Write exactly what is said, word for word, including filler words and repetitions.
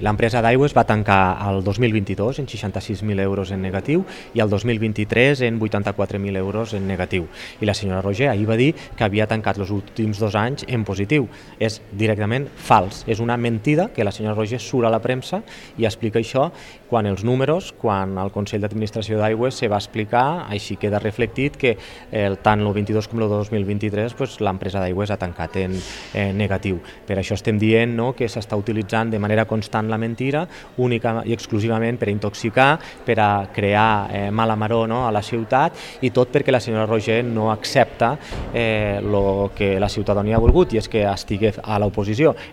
L'empresa d'Aigües va tancar el dos mil vint-i-dos en seixanta-sis mil euros en negatiu i el dos mil vint-i-tres en vuitanta-quatre mil euros en negatiu. I la senyora Roger ahir va dir que havia tancat els últims dos anys en positiu. És directament fals, és una mentida que la senyora Roger surt a la premsa i explica això quan els números, quan el Consell d'Administració d'Aigües se va explicar, així queda reflectit que eh, tant el vint-i-dos com el dos mil vint-i-tres pues, l'empresa d'Aigües ha tancat en eh, negatiu. Per això estem dient no, que s'està utilitzant de manera constant la mentira única i exclusivament per a intoxicar, per a crear eh, mala maror no, a la ciutat i tot perquè la senyora Roger no accepta el eh, que la ciutadania ha volgut i és que estigui a l'oposició.